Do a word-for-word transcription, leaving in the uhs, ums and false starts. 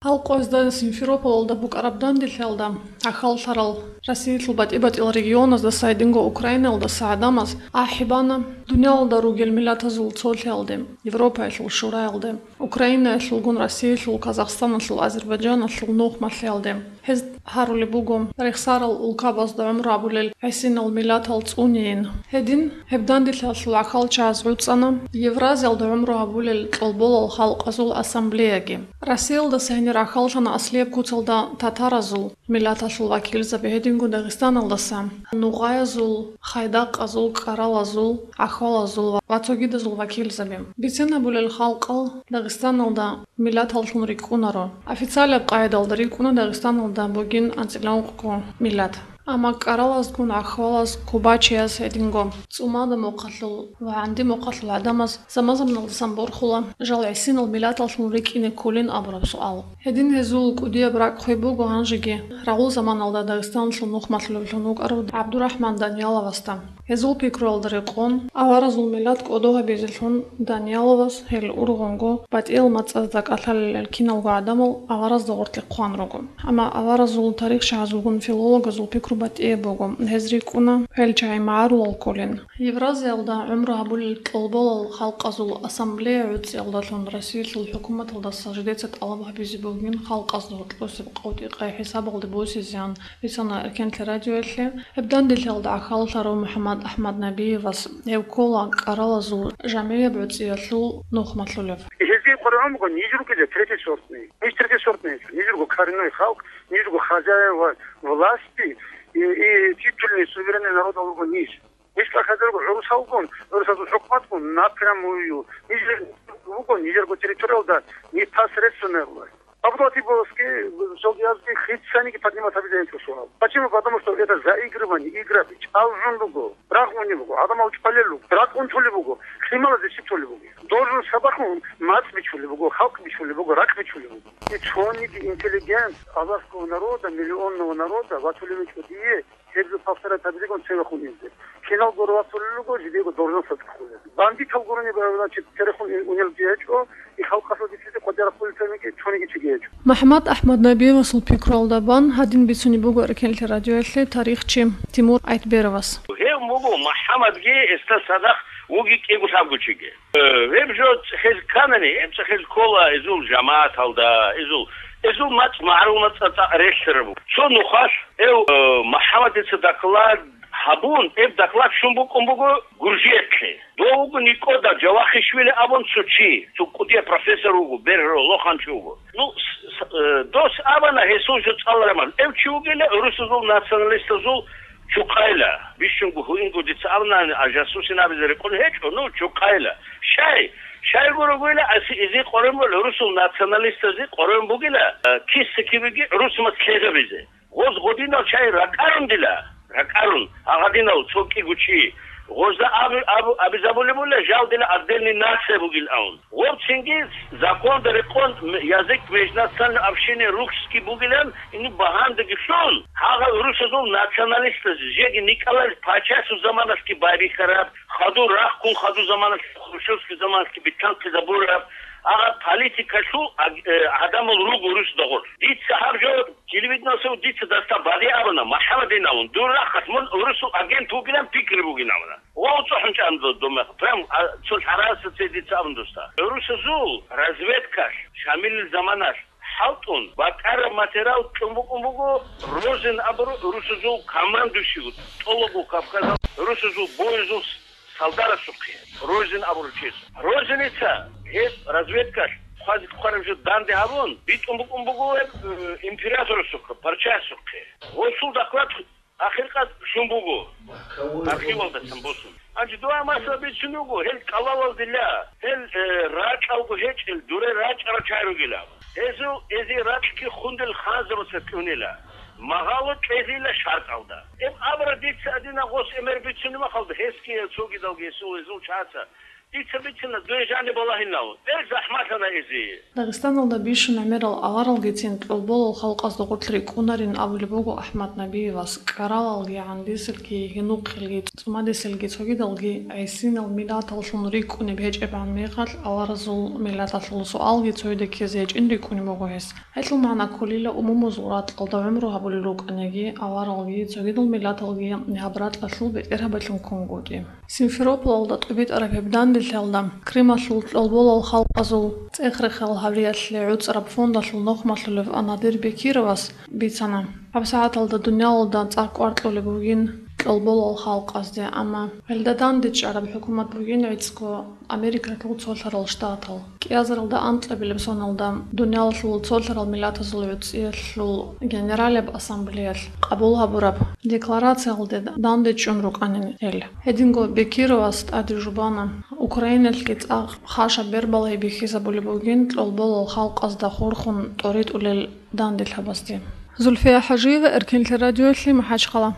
Гьал къоязда Симферополалда букӀараб данделъиялда гӀахьаллъарал Россиялъул батӀи-батӀиял регионаздаса гьединго Украинаялдаса гӀадамаз ахӀи бана дуниялалда ругел миллатазул цолъиялде, Европаялъул шураялде, Украинаялъулгун Россиялъул, Казахстаналъул, Азербайджаналъул нухмалъиялде. Гьез гьарулеб буго рехсарал улкабазда гӀумру гьабулел гӀисинал миллатал цӀуниин. Гьедин, гьеб данделъиялъул гӀахьалчагӀаз гӀуцӀана Евразиялда гӀумру гьабулел кьолболал халкъазул ассамблеяги. Россиялдаса гьенир гӀахьаллъана аслияб куцалда татаразул миллаталъул вакилзаби, гьединго Дагъистаналдаса нугъаязул, хайдакъазул, кӀаралазул, гӀахьалазул ва цогидазул вакилзаби. Бицен гьабулел халкъал Дагъистаналда миллаталлъун рикӀкӀунаро. Официалаб къагӀидалда рикӀкӀуна Дагъистаналда бугин анцӀила ункъго миллат. Амма кӀаралазгун гӀахьалаз, кубачияз гьединго, цӀумада мухъалъул ва гӀанди мухъалъул гӀадамаз заман-заманалдасан борхула жал гӀисинал миллаталлъун рикӀкӀине кколин абураб суал. Гьедин гьезул кӀудияб ракӀ хвеб буго гьанжеги рагъул заманалда Дагъистаналъул нухмалъулевлъун вукӀарав ГӀабдурахӀман Данияловасда. Гьезул пикруялда рекъон, аваразул миллат кӀодо гьабизелъун Данияловас гьел ургъунго батӀиял мацӀазда кӀалъалел киналго гӀадамал аваразда гъоркье хъван руго. Амма аваразул тарихчагӀазулгун филологазул пикру батӀияб буго, гьез рикӀкӀуна гьел чагӀи магӀарулал кколин. Евразиялда гӀумру гьабулел кьолболал халкъазул ассамблея гӀуцӀиялдалъун Россиялъул хӀукуматалдаса жидеца тӀалаб гьабизе бугин халкъазда гьоркьосеб къотӀи-къай хӀисабалде босизеян, бицана Эркенлъи радиоялъе. Гьеб данделъиялда гӀахьаллъарав МухӀаммад АхӀмад Набиевас гьев ккола кӀаралазул жамгӀияб гӀуцӀиялъул нухмалъулев. Гьезие къваригӀун буго ниж ругел третий сортный. Ниж третий сортный, ниж руго коренной халкъ, ниж руго хозяева власти и, и титульный суверенный народал руго ниж. Ниж тӀахьазарго гӀурусалгун, гӀурусазул хӀукуматгун напрямую, ниж руго нижерго территориялда непосредственная власть. Абдулатиповасги, Жалдиязги хицаниги поднимать гьабизе гьечӀо суал. Почему? Потому что это заигрывание, игра, чӀалжун руго, рагъуни буго, гӀадамал чӀвалел руго, ракӀ унтулеб буго, лъималазе щиб толеб буго. Должен сабахун мацӀ бичулеб буго, халкъ бичулеб буго, ракӀ бичулеб буго. И цониги интеллигент аварского народа, миллионного народа ватулеб гьечӀо дие, гьеб жо повторять гьабизегун цевехун инзе. Кинал гуро вацулел руго, жидего должносталда хъулел. Бандитал гурони, значит, церехун унел гьечӀо, и халкъалъул бицизе къватӀира хъулел цониги, цониги чиги гьечӀо. МухӀаммад АхӀмад Набиевасул пикруялда бан гьадин бицунеб буго Эркенлъи радиоялъе тарихчи Тимур Айтберовас. Гьев буго МухӀаммадги гьесда цадахъ вуги кӀиго лъабго чиги. Э, гьеб жо цӀехез кканани, гьеб цӀехез ккола эзул жамагӀаталда, эзул, эзул мацӀ магӀарул мацӀа цӀакъ релълъараб. Цо нухалъ гьев, э, МухӀаммадица доклад гьабун, гьеб доклад щун букӀун буго Гуржиялъе. Дов вуго Никода Жавахишвили абун цо чи, цо кӀудияб профессор вуго, бергьарав лоханчи вуго. Ну, с-, с-, э, дос абана гьесул жо цӀалараб мехалъ. Гьев чи вугила гӀурусазул националистазул чукъайла. Бищунго гьуинго дица абунани, а жасусин абизе рекъон гьечӀо, ну, чукъайла. Щай? Щайгуро гуйла, аси изи къорен бугила, гӀурусул националистази къорен бугила, э, киса-кибеги гӀурусмас лъегьабизе. Гъоз гъодинал чай ракӀарун дила, ракӀарун, а гъадинав цо кӀиго чи. Гъозда абу-, абу-, абизабулеб бугила, жал дила отдельный нация бугилан. Гъов цинги законда рекъон м-, язык межнациональной общины русский бугилан, ину багьандаги лъун, гьагъал гӀурусазул националистазе, жеги Николай Пачасул заманалъги байбихьараб, хадур рахъун хадур заманалъ Хрущевский заманалъги битӀанлъизабураб, гьагъаб политикалъул аг-, э, гӀадамал руго гӀурусда гъорлъ. Дица гьаб жо телевидениялъул дица дасда багъи абуна, МухӀаммадин абун, дур рахъалъ мун гӀурусул агент вугилан пикри бугин абуна. Ва цӀухӀун чӀан додумах, прям, а, цо лъараса цей дица абун досда. ГӀурусазул разведкалъ, Шамилил заманалъ, хӀалтӀун, бакӀараб материал кьун букӀун буго, Розин абуру гӀурусазул командующий, тӀолого Кавказал гӀурусазул боязул с-, солдарасухъе, Розин абуру чияс. Розиница гьеб разведкалъ хъвазе хъвараб жо данде гьабун, битӀун букӀун буго гьеб, э, императорасухъе, пачасухъе. Гъосул доклад ахиркъад щун буго, архивалдасан босун. Гьанже дугьа масала бицун вуго, гьел кӀалалалдила, гьел, э, ракьалго гьечӀел, дуре рачӀарал чай ругила. Гьезул эзи ракьги хундел ханзабаца кьунила, магъало кьезила шартӀалда. Гьеб абра дица адина гъос эмер бицунеб махалда, гьесги гьел цогидалги гьесул гьезул чаца Дица бицина дуе жаниб балагьинав, бер захӀмалъана эзие. Дагъистаналда бищун гӀемерал аваралгицин кьолболал халкъазда гъорлъ рикӀкӀунарин абулеб буго АхӀмад Набиевас. КӀаралалги, гӀандисилги, гьинухъелги, цӀумадисилги, цогидалги гӀисинал миллаталлъун рикӀкӀунеб гьечӀебгӀан мехалъ, аваразул миллаталъул суалги цояда ккезе гьечӀин рикӀкӀунеб буго гьес. Гьелъул магӀна кколила, умумузул ракьалда гӀумру гьабулел рукӀаниги, аваралги, цогидал миллаталги гьаб ракьалъул бетӀергьабилъун ккунгутӀи. Симферополалда тӀубитӀараб гьеб данделъиялда Крымалъул кьолболал халкъазул цӀех-рехел гьавиялъе гӀуцӀараб фондалъул нухмалъулев Анадир Бекировас бицана, гьабсагӀаталда дуниялалда цӀакъ кӀвар кьолеб бугин кьолболал халкъазде, амма гьелда дандечӀараб хӀукумат бугин гӀицӀго Америкалъул цолъарал штатал. КӀиазаралда анкьабилеб соналда дуниялалъул цолъарал миллатазул гӀуцӀиялъул Генералияб ассамблеялъ къабул гьабураб декларациялде дандечӀун рукӀанин гьел. Гьединго Бекировас тӀаде жубана Украиналъги цӀакъ хъаша бербалай бихьизабулеб бугин кьолболал халкъазда хурхун тӀоритӀулел данделъабазде. Зульфия ХӀажиева, Эркинлъи радиоялъе, МахӀачхъала.